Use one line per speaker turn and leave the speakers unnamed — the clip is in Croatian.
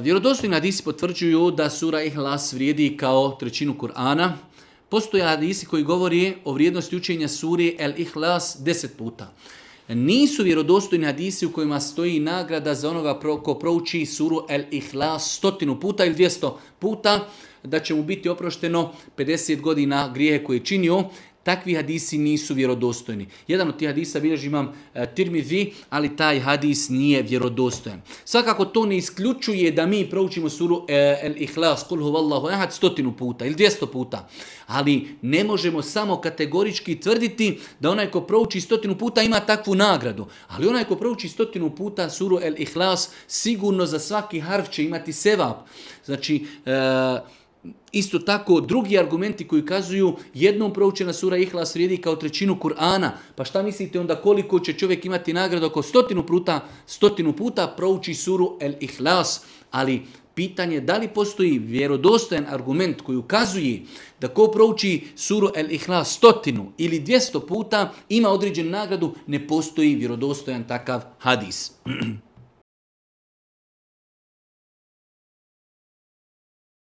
Vjerodostojni hadisi potvrđuju da sura Ihlas vrijedi kao trećinu Kur'ana. Postoje hadisi koji govori o vrijednosti učenja suri El Ihlas 10 puta. Nisu vjerodostojni hadisi u kojima stoji nagrada za onoga ko prouči suru El Ihlas 100 puta ili 200 puta, da će mu biti oprošteno 50 godina grijehe koje je činio. Takvi hadisi nisu vjerodostojni. Jedan od tih hadisa bilježi imam Tirmizi, ali taj hadis nije vjerodostojan. Svakako to ne isključuje da mi proučimo suru El Ihlas, Kul huvallahu ehad 100 puta ili 200 puta. Ali ne možemo samo kategorički tvrditi da onaj ko prouči 100 puta ima takvu nagradu. Ali onaj ko prouči 100 puta suru El Ihlas sigurno za svaki harf će imati sevap. Znači, isto tako, drugi argumenti koji kazuju jednom proučena sura Ihlas vrijedi kao trećinu Kur'ana. Pa šta mislite onda koliko će čovjek imati nagradu ako 100 puta prouči suru El Ihlas? Ali pitanje da li postoji vjerodostojan argument koji ukazuje da ko prouči suru El Ihlas 100 ili 200 puta ima određenu nagradu, ne postoji vjerodostojan takav hadis.